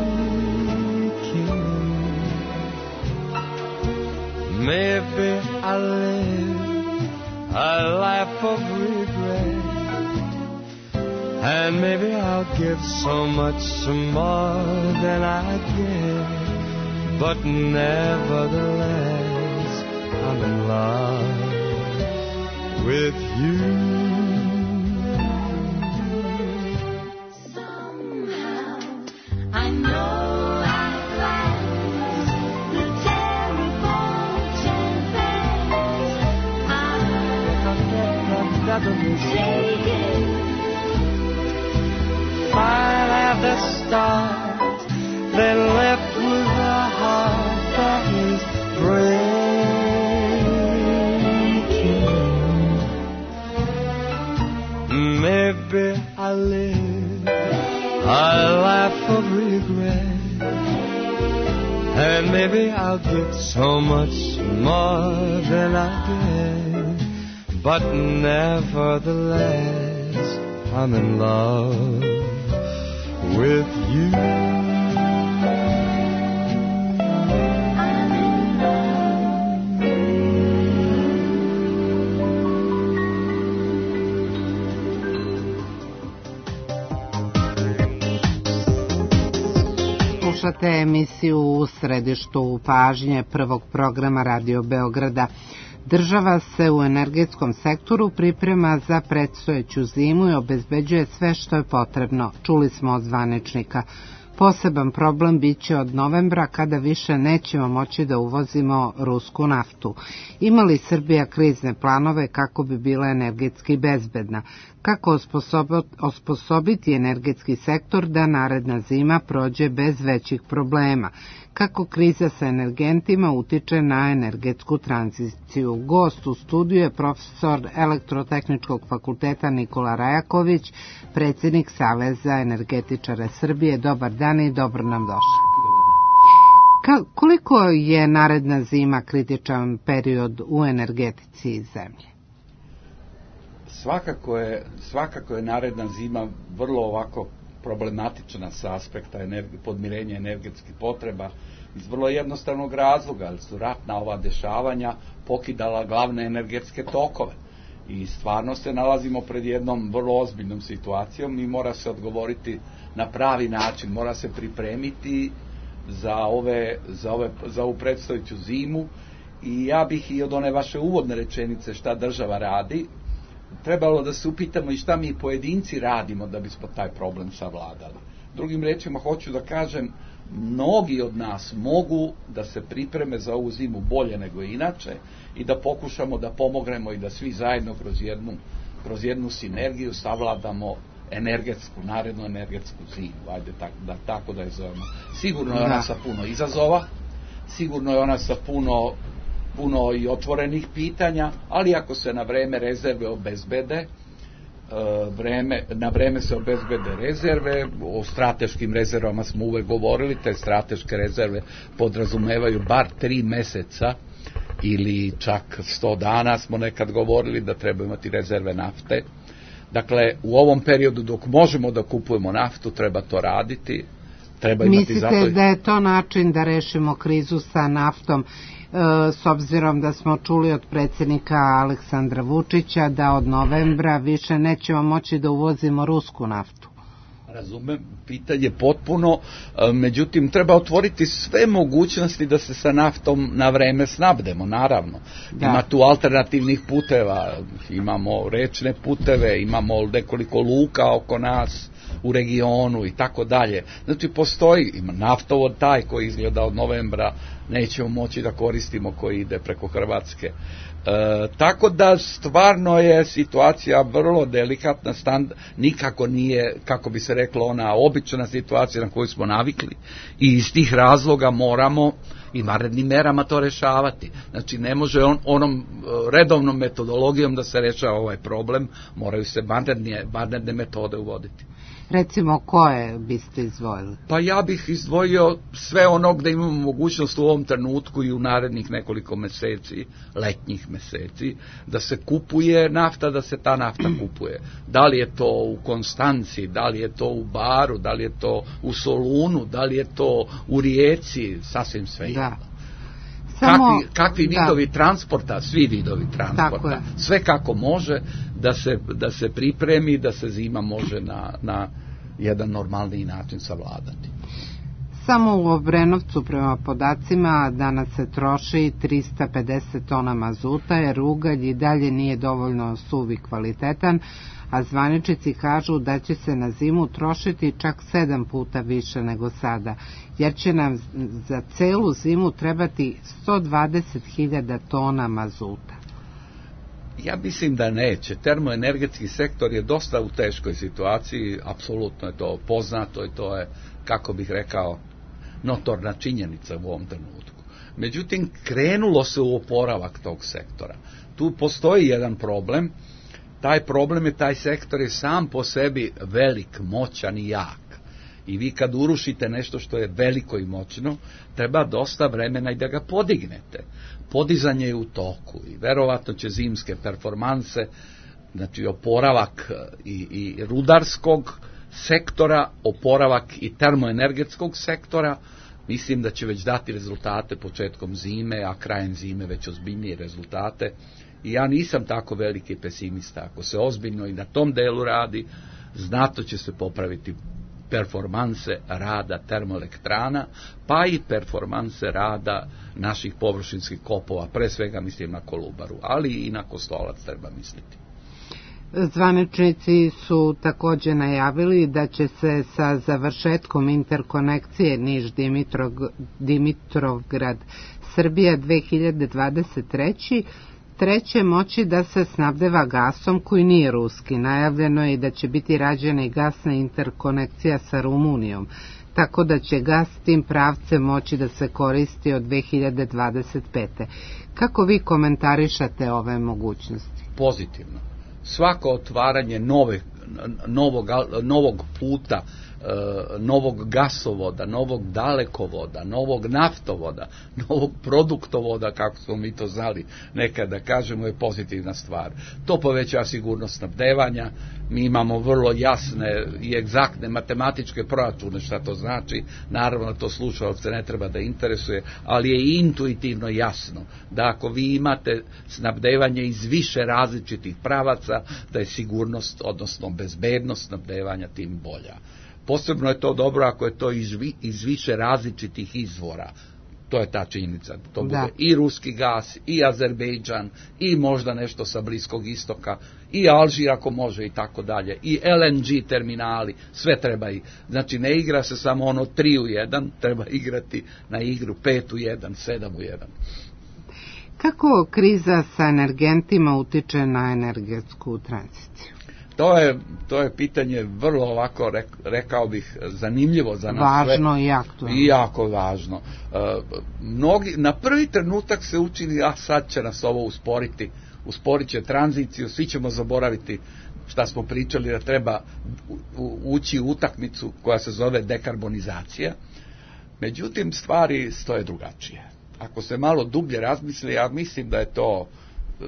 Maybe I live a life of regret, and maybe I'll give so much more than I get. But nevertheless, I'm in love with you. Somehow I know at last the terrible chances I'm taking. Fine at the start, then left with a heart that is breaking. Maybe I live a life of regret, and maybe I'll get so much more than I get. But nevertheless, I'm in love with you. Slušate emisiju U središtu pažnje prvog programa Radio Beograda. Država se u energetskom sektoru priprema za predstojeću zimu i obezbeđuje sve što je potrebno. Čuli smo od zvaničnika. Poseban problem biće od novembra kada više nećemo moći da uvozimo rusku naftu. Ima li Srbija krizne planove kako bi bila energetski bezbedna? Kako osposobiti energetski sektor da naredna zima prođe bez većih problema? Kako kriza sa energentima utiče na energetsku tranziciju? Gost u studiju je profesor Elektrotehničkog fakulteta Nikola Rajaković, predsjednik Saveza energetičara Srbije. Dobar dan i dobro nam došli. Ka, koliko je naredna zima kritičan period u energetici zemlje? Svakako je, svakako je naredna zima vrlo ovako problematična sa aspekta energi, podmirenja energetskih potreba iz vrlo jednostavnog razloga, jer su ratna ova dešavanja pokidala glavne energetske tokove i stvarno se nalazimo pred jednom vrlo ozbiljnom situacijom i mora se odgovoriti na pravi način, mora se pripremiti za, ove, za, ove, za ovu predstojeću zimu. I ja bih i od one vaše uvodne rečenice šta država radi, trebalo da se upitamo i šta mi pojedinci radimo da bismo taj problem savladali. Drugim rečima hoću da kažem, mnogi od nas mogu da se pripreme za ovu zimu bolje nego inače i da pokušamo da pomognemo i da svi zajedno kroz jednu, kroz jednu sinergiju savladamo energetsku, narednu energetsku zimu, ajde tak, da, tako da je zovemo. Sigurno je ona da. sa puno izazova, sigurno je ona sa puno puno i otvorenih pitanja, ali ako se na vreme rezerve obezbede, vreme, na vreme se obezbede rezerve, o strateškim rezervama smo uvek govorili, te strateške rezerve podrazumevaju bar tri meseca ili čak sto dana smo nekad govorili da treba imati rezerve nafte. Dakle, u ovom periodu dok možemo da kupujemo naftu, treba to raditi. Treba imati Mislite zato... da je to način da rešimo krizu sa naftom? s obzirom da smo čuli od predsjednika Aleksandra Vučića da od novembra više nećemo moći da uvozimo rusku naftu. Razumem, pitanje potpuno, međutim treba otvoriti sve mogućnosti da se sa naftom na vreme snabdemo, naravno. Da. Ima tu alternativnih puteva, imamo rečne puteve, imamo nekoliko luka oko nas u regionu i tako dalje. Znači postoji, ima naftovod taj koji izgleda od novembra nećemo moći da koristimo, koji ide preko Hrvatske. E, tako da stvarno je situacija vrlo delikatna, stand, nikako nije, kako bi se reklo, ona obična situacija na koju smo navikli i iz tih razloga moramo i vanrednim merama to rešavati. Znači ne može on, onom redovnom metodologijom da se rešava ovaj problem, moraju se vanredne, vanredne metode uvoditi. Recimo, koje biste izdvojili? Pa ja bih izdvojio sve ono gde imamo mogućnost u ovom trenutku i u narednih nekoliko meseci, letnjih meseci, da se kupuje nafta, da se ta nafta kupuje. Da li je to u Konstanci, da li je to u Baru, da li je to u Solunu, da li je to u Rijeci, sasvim sve jedno. Da. Samo, kakvi, kakvi vidovi da. transporta, svi vidovi transporta, sve kako može da se, da se pripremi, da se zima može na, na jedan normalniji način savladati. Samo u Obrenovcu prema podacima danas se troši trista pedeset tona mazuta, jer ugalj i dalje nije dovoljno suv i kvalitetan, a zvaničnici kažu da će se na zimu trošiti čak sedam puta više nego sada, jer će nam za celu zimu trebati sto dvadeset hiljada tona mazuta. Ja mislim da neće. Termoenergetski sektor je dosta u teškoj situaciji, apsolutno je to poznato i to je, kako bih rekao, notorna činjenica u ovom trenutku. Međutim, krenulo se u oporavak tog sektora. Tu postoji jedan problem. Taj problem je, taj sektor je sam po sebi velik, moćan i jak. I vi kad urušite nešto što je veliko i moćno, treba dosta vremena i da ga podignete. Podizanje je u toku i verovatno će zimske performanse, znači oporavak i, i rudarskog sektora, oporavak i termoenergetskog sektora, mislim da će već dati rezultate početkom zime, a krajem zime već ozbiljnije rezultate. I ja nisam tako veliki pesimista. Ako se ozbiljno i na tom delu radi, znato će se popraviti performanse rada termoelektrana, pa i performanse rada naših površinskih kopova, pre svega mislim na Kolubaru, ali i na Kostolac treba misliti. Zvaničnici su također najavili da će se sa završetkom interkonekcije Niš-Dimitrovgrad Srbija dve hiljade dvadeset treće. treće moći da se snabdeva gasom koji nije ruski. Najavljeno je i da će biti rađena i gasna interkonekcija sa Rumunijom, tako da će gas tim pravcem moći da se koristi od dve hiljade dvadeset pete. Kako vi komentarišate ove mogućnosti? Pozitivno. Svako otvaranje nove, novog, novog puta, novog gasovoda, novog dalekovoda, novog naftovoda, novog produktovoda, kako smo mi to znali nekada kažemo, je pozitivna stvar. To poveća sigurnost snabdevanja, mi imamo vrlo jasne i egzaktne matematičke proračune šta to znači, naravno to slušalce ne treba da interesuje, ali je intuitivno jasno da ako vi imate snabdevanje iz više različitih pravaca, da je sigurnost, odnosno bezbednost snabdevanja tim bolja. Posebno je to dobro ako je to iz, iz više različitih izvora. To je ta činjenica. To bude da. I ruski gas, i Azerbejdžan, i možda nešto sa Bliskog istoka, i Alžir ako može i tako dalje, i L N G terminali, sve treba i. Znači ne igra se samo ono tri u jedan, treba igrati na igru pet u jedan, sedam u jedan. Kako kriza sa energentima utiče na energetsku tranziciju? To je, to je pitanje vrlo ovako, rekao bih, zanimljivo za nas. Važno sve. I aktualno. I jako važno. E, mnogi, na prvi trenutak se učini, a sad će nas ovo usporiti, usporit će tranziciju, svi ćemo zaboraviti šta smo pričali da treba ući u utakmicu koja se zove dekarbonizacija. Međutim, stvari stoje drugačije. Ako se malo dublje razmisli, ja mislim da je to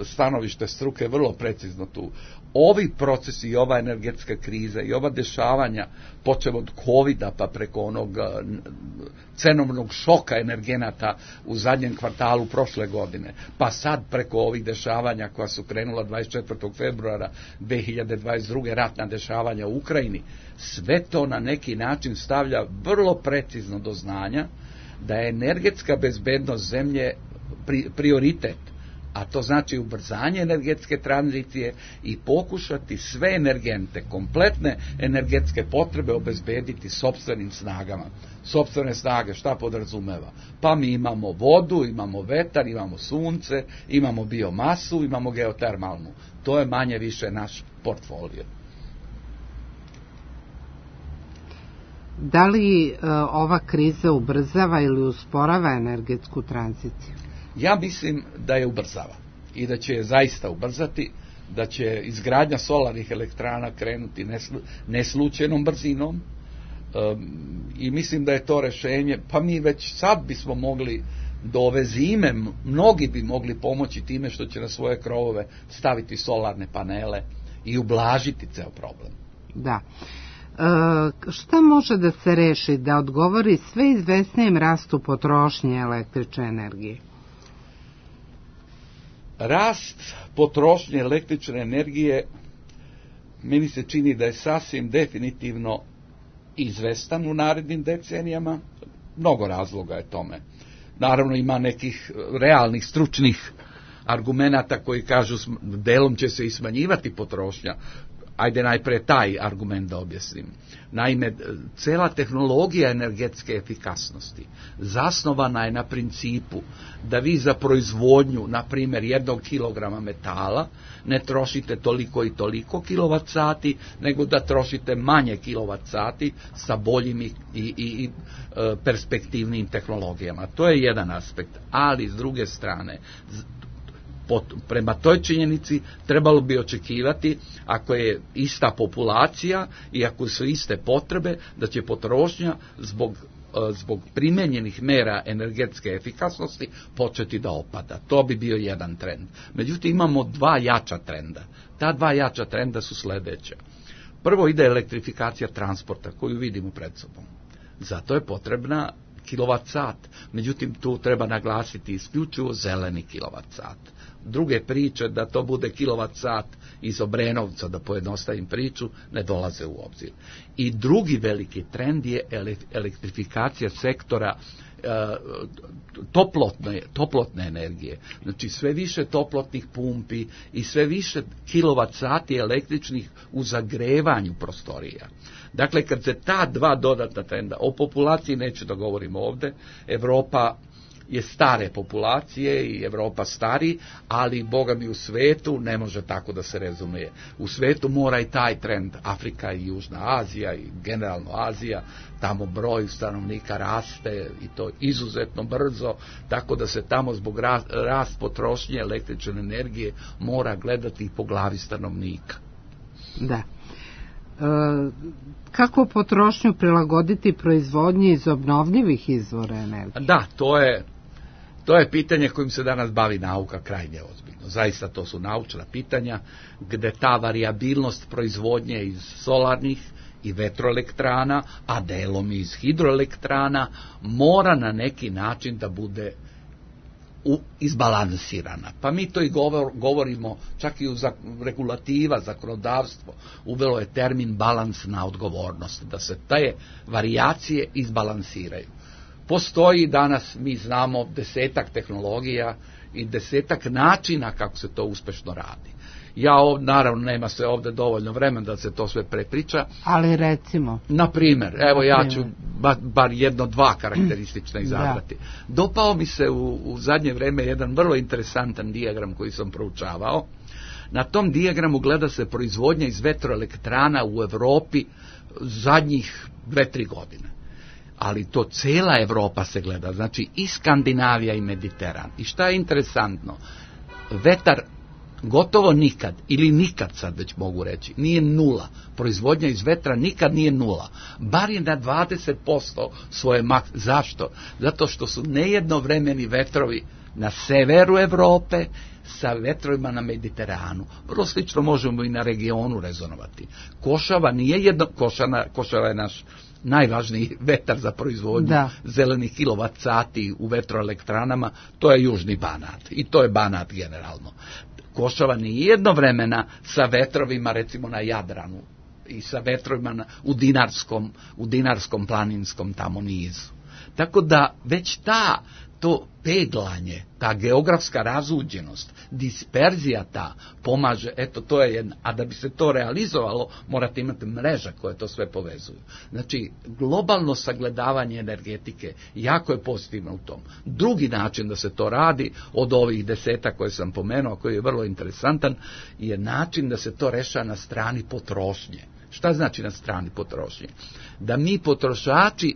stanovište struke vrlo precizno tu. Ovi procesi i ova energetska kriza i ova dešavanja, počev od kovida pa preko onog cenovnog šoka energenata u zadnjem kvartalu prošle godine, pa sad preko ovih dešavanja koja su krenula dvadeset četvrtog februara dve hiljade dvadeset druge ratna dešavanja u Ukrajini, sve to na neki način stavlja vrlo precizno do znanja da je energetska bezbednost zemlje pri, prioritet, a to znači ubrzanje energetske tranzicije i pokušati sve energente, kompletne energetske potrebe obezbediti sopstvenim snagama. Sopstvene snage šta podrazumeva? Pa mi imamo vodu, imamo vetar, imamo sunce, imamo biomasu, imamo geotermalnu. To je manje više naš portfolio. Da li e, ova kriza ubrzava ili usporava energetsku tranziciju? Ja mislim da je ubrzava i da će je zaista ubrzati, da će izgradnja solarnih elektrana krenuti neslu, neslučajnom brzinom um, i mislim da je to rešenje, pa mi već sad bismo mogli do ove zime, mnogi bi mogli pomoći time što će na svoje krovove staviti solarne panele i ublažiti ceo problem. Da. E, šta može da se reši da odgovori sve izvesnijem rastu potrošnje električne energije? Rast potrošnje električne energije meni se čini da je sasvim definitivno izvestan u narednim decenijama. Mnogo razloga je tome. Naravno ima nekih realnih stručnih argumenata koji kažu delom će se i smanjivati potrošnja. Ajde najpre taj argument da objasnim. Naime, cela tehnologija energetske efikasnosti zasnovana je na principu da vi za proizvodnju, na primjer, jednog kilograma metala ne trošite toliko i toliko kilovat sati, nego da trošite manje kilovat sati sa boljim i, i, i perspektivnim tehnologijama. To je jedan aspekt, ali s druge strane, prema toj činjenici trebalo bi očekivati, ako je ista populacija i ako su iste potrebe, da će potrošnja zbog, zbog primenjenih mera energetske efikasnosti početi da opada. To bi bio jedan trend. Međutim, imamo dva jača trenda. Ta dva jača trenda su sledeća. Prvo ide elektrifikacija transporta koju vidimo pred sobom. Zato je potrebna kilovat sat. Međutim, tu treba naglasiti isključivo zeleni kilovat sat. Druge priče da to bude kilovat sat iz Obrenovca, da pojednostavim priču, ne dolaze u obzir. I drugi veliki trend je elektrifikacija sektora e, toplotne, toplotne energije. Znači sve više toplotnih pumpi i sve više kilovat sati električnih u zagrevanju prostorija. Dakle, kad se ta dva dodatna trenda, o populaciji neću da govorim ovde, Evropa je stare populacije i Evropa stari, ali boga mi u svetu ne može tako da se rezumije. U svetu mora i taj trend, Afrika i Južna Azija i generalno Azija, tamo broj stanovnika raste i to izuzetno brzo, tako da se tamo zbog rast, rast potrošnje električne energije mora gledati i po glavi stanovnika. Da. E, kako potrošnju prilagoditi proizvodnji iz obnovljivih izvora energije? Da, to je To je pitanje kojim se danas bavi nauka krajnje ozbiljno. Zaista to su naučna pitanja gde ta variabilnost proizvodnje iz solarnih i vetroelektrana, a delom iz hidroelektrana, mora na neki način da bude u, izbalansirana. Pa mi to i govor, govorimo, čak i u zak, regulativa, zakonodavstvo, uvelo je termin balansna odgovornost, da se te varijacije izbalansiraju. Postoji danas, mi znamo, desetak tehnologija i desetak načina kako se to uspešno radi. Ja ovdje, naravno, nema se ovdje dovoljno vremena da se to sve prepriča. Ali recimo. Na primjer, evo ja ću bar, bar jedno, dva karakteristična izabrati. Da. Dopao mi se u, u zadnje vreme jedan vrlo interesantan dijagram koji sam proučavao. Na tom dijagramu gleda se proizvodnja iz vetroelektrana u Evropi zadnjih dve, tri godine. Ali to cela Evropa se gleda, znači i Skandinavija i Mediteran. I šta je interesantno? Vetar gotovo nikad, ili nikad sad već mogu reći, nije nula. Proizvodnja iz vetra nikad nije nula. Bar je na dvadeset posto svoje mak... Zašto? Zato što su nejednovremeni vetrovi na severu Evrope sa vetrovima na Mediteranu. Vrlo slično možemo i na regionu rezonovati. Košava nije jedno... Košana, Košava je naš najvažniji vetar za proizvodnju da. zelenih kilovat sati u vetroelektranama, to je južni Banat. I to je Banat generalno. Košava nije jednovremena sa vetrovima recimo na Jadranu i sa vetrovima na, u Dinarskom, u Dinarskom planinskom tamo nizu. Tako da već ta to peglanje, ta geografska razuđenost, disperzija ta pomaže, eto to je jedna, a da bi se to realizovalo morate imati mreža koje to sve povezuju. Znači, globalno sagledavanje energetike jako je pozitivno u tom. Drugi način da se to radi, od ovih deseta koje sam pomenuo, koji je vrlo interesantan, je način da se to reša na strani potrošnje. Šta znači na strani potrošnje? Da mi potrošači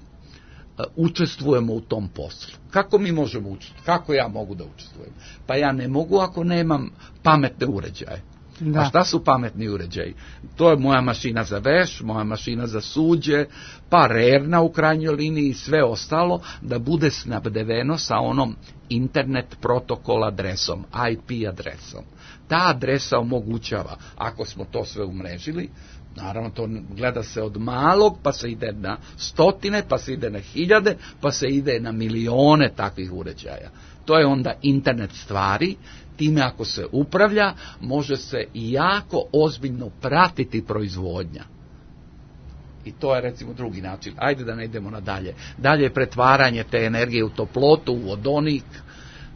učestvujemo u tom poslu. Kako mi možemo učestvovati? Kako ja mogu da učestvujem? Pa ja ne mogu ako nemam pametne uređaje. Da. A šta su pametni uređaji? To je moja mašina za veš, moja mašina za suđe, pa rerna u krajnjoj liniji i sve ostalo da bude snabdeveno sa onom internet protokol adresom, I P adresom. Ta adresa omogućava, ako smo to sve umrežili, naravno to gleda se od malog, pa se ide na stotine, pa se ide na hiljade, pa se ide na milione takvih uređaja. To je onda internet stvari, time ako se upravlja, može se jako ozbiljno pratiti proizvodnja. I to je recimo drugi način. Ajde da ne idemo nadalje. Dalje je pretvaranje te energije u toplotu, u vodonik,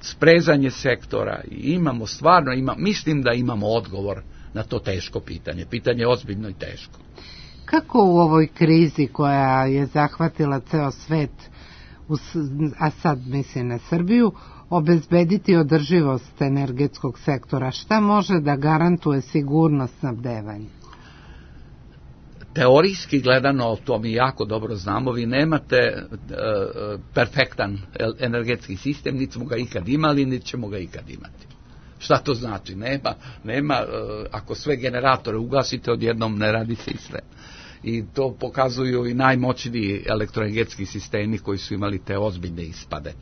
sprezanje sektora. I imamo stvarno, ima, mislim da imamo odgovor na to teško pitanje. Pitanje je ozbiljno i teško. Kako u ovoj krizi koja je zahvatila ceo svet, a sad mislim na Srbiju, obezbediti održivost energetskog sektora? Šta može da garantuje sigurnost snabdevanja? Teorijski gledano, to mi jako dobro znamo, vi nemate e, perfektan energetski sistem, niti smo ga ikad imali, niti ćemo ga ikad imati. Šta to znači? Nema, nema, e, ako sve generatore ugasite, odjednom ne radi se i sve. I to pokazuju i najmoćniji elektroenergetski sistemi koji su imali te ozbiljne ispade.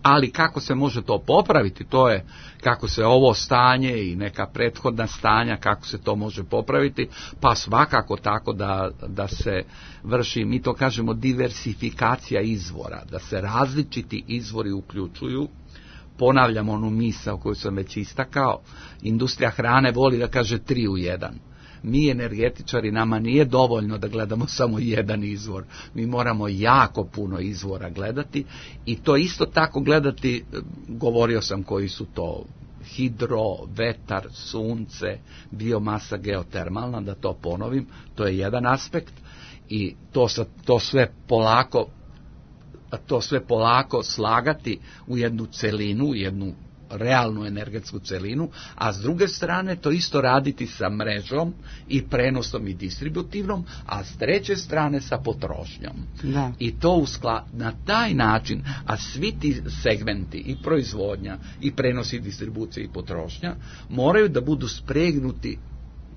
Ali kako se može to popraviti, to je kako se ovo stanje i neka prethodna stanja, kako se to može popraviti, pa svakako tako da, da se vrši, mi to kažemo, diversifikacija izvora, da se različiti izvori uključuju. Ponavljam onu misao koju sam već istakao, industrija hrane voli da kaže tri u jedan. Mi energetičari, nama nije dovoljno da gledamo samo jedan izvor. Mi moramo jako puno izvora gledati i to isto tako gledati, govorio sam koji su to, hidro, vetar, sunce, biomasa geotermalna, da to ponovim, to je jedan aspekt i to, to sve polako to sve polako slagati u jednu celinu, u jednu realnu energetsku celinu, a s druge strane to isto raditi sa mrežom i prenosom i distributivnom, a s treće strane sa potrošnjom. Da. I to uskla, na taj način, a svi ti segmenti i proizvodnja i prenos i distribucija i potrošnja moraju da budu spregnuti.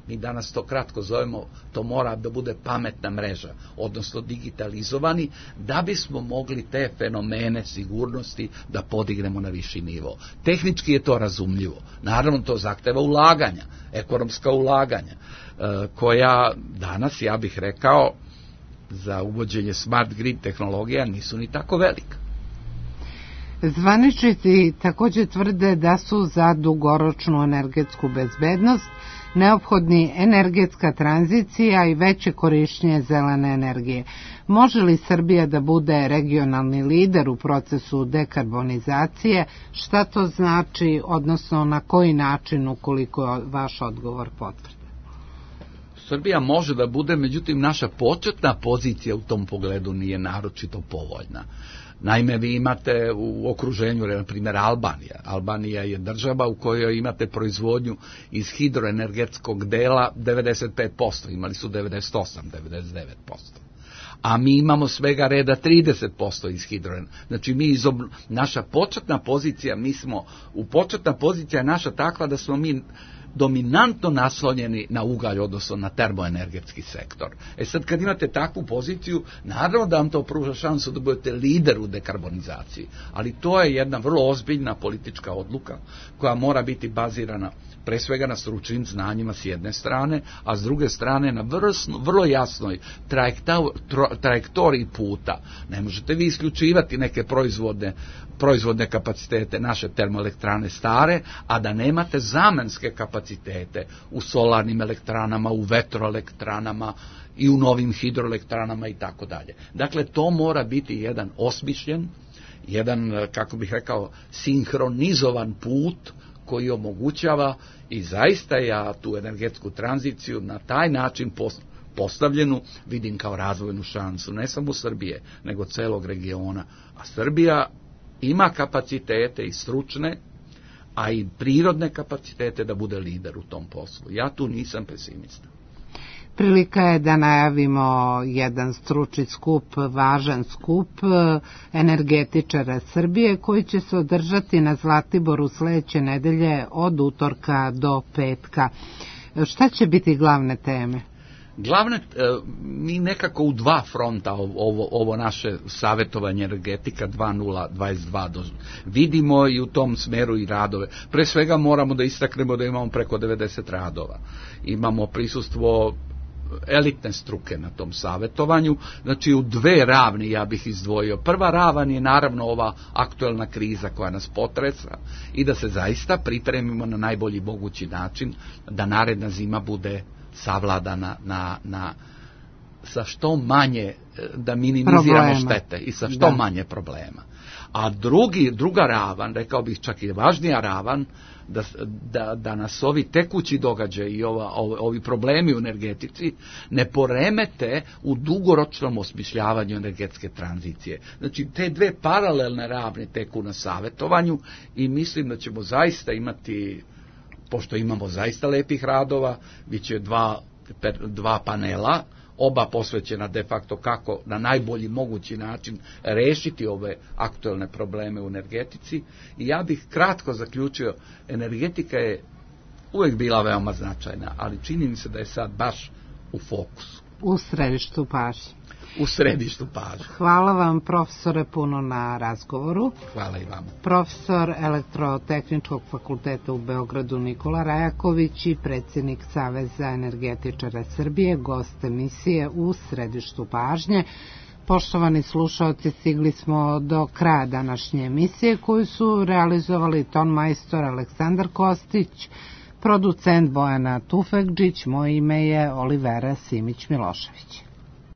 Mi danas to kratko zovemo, to mora da bude pametna mreža, odnosno digitalizovani, da bismo mogli te fenomene sigurnosti da podignemo na viši nivo. Tehnički je to razumljivo. Naravno, to zahteva ulaganja, ekonomska ulaganja, koja danas, ja bih rekao, za uvođenje smart grid tehnologija nisu ni tako velika. Zvaničnici također tvrde da su za dugoročnu energetsku bezbednost neophodni energetska tranzicija i veće korišćenje zelene energije. Može li Srbija da bude regionalni lider u procesu dekarbonizacije? Šta to znači, odnosno na koji način, ukoliko je vaš odgovor potvrdan? Srbija može da bude, međutim naša početna pozicija u tom pogledu nije naročito povoljna. Naime, vi imate u okruženju, na primjer, Albanija. Albanija je država u kojoj imate proizvodnju iz hidroenergetskog dela devedeset pet posto, imali su devedeset osam do devedeset devet posto. A mi imamo svega reda trideset posto iz hidroenergetskog. Znači, mi iz obl... naša početna pozicija, mi smo, u početna pozicija je naša takva da smo mi dominantno naslonjeni na ugalj, odnosno na termoenergetski sektor. E sad, kad imate takvu poziciju, naravno da vam to pruža šansu da budete lider u dekarbonizaciji, ali to je jedna vrlo ozbiljna politička odluka koja mora biti bazirana pre svega na stručnim znanjima s jedne strane, a s druge strane na vrsno, vrlo jasnoj trajektoriji puta. Ne možete vi isključivati neke proizvodne, proizvodne kapacitete naše termoelektrane stare, a da nemate zamenske kapacitete u solarnim elektranama, u vetroelektranama i u novim hidroelektranama i tako dalje. Dakle, to mora biti jedan osmišljen, jedan, kako bih rekao, sinhronizovan put koji omogućava i zaista ja tu energetsku tranziciju na taj način postavljenu vidim kao razvojnu šansu, ne samo Srbije, nego celog regiona. A Srbija ima kapacitete i stručne, a i prirodne kapacitete da bude lider u tom poslu. Ja tu nisam pesimista. Prilika je da najavimo jedan stručni skup, važan skup energetičara Srbije koji će se održati na Zlatiboru sledeće nedelje od utorka do petka. Šta će biti glavne teme? Glavne, mi nekako u dva fronta ovo, ovo naše savjetovanje energetika dva nula dvadeset dva vidimo i u tom smeru i radove. Pre svega moramo da istaknemo da imamo preko devedeset radova. Imamo prisustvo elitne struke na tom savjetovanju, znači u dve ravni ja bih izdvojio. Prva ravan je naravno ova aktuelna kriza koja nas potresa i da se zaista pripremimo na najbolji mogući način da naredna zima bude savladana na, na, sa što manje, da minimiziramo problema. Štete i sa što da. manje problema. A drugi, druga ravan, rekao bih čak i važnija ravan, da, da, da nas ovi tekući događaji i ova, ovi problemi u energetici ne poremete u dugoročnom osmišljavanju energetske tranzicije. Znači, te dve paralelne ravne teku na savjetovanju i mislim da ćemo zaista imati, pošto imamo zaista lepih radova, bit će dva, dva panela, oba posvećena de facto kako na najbolji mogući način rešiti ove aktuelne probleme u energetici. I ja bih kratko zaključio, energetika je uvijek bila veoma značajna, ali čini mi se da je sad baš u fokusu. U središtu pažnje. U središtu pažnje. Hvala vam, profesore, puno na razgovoru. Hvala i vama. Profesor Elektrotehničkog fakulteta u Beogradu Nikola Rajaković i predsjednik Saveza energetičara Srbije, gost emisije U središtu pažnje. Poštovani slušaoci, stigli smo do kraja današnje emisije koju su realizovali ton majstor Aleksandar Kostić, producent Bojana Tufekđić, moje ime je Olivera Simić Milošević.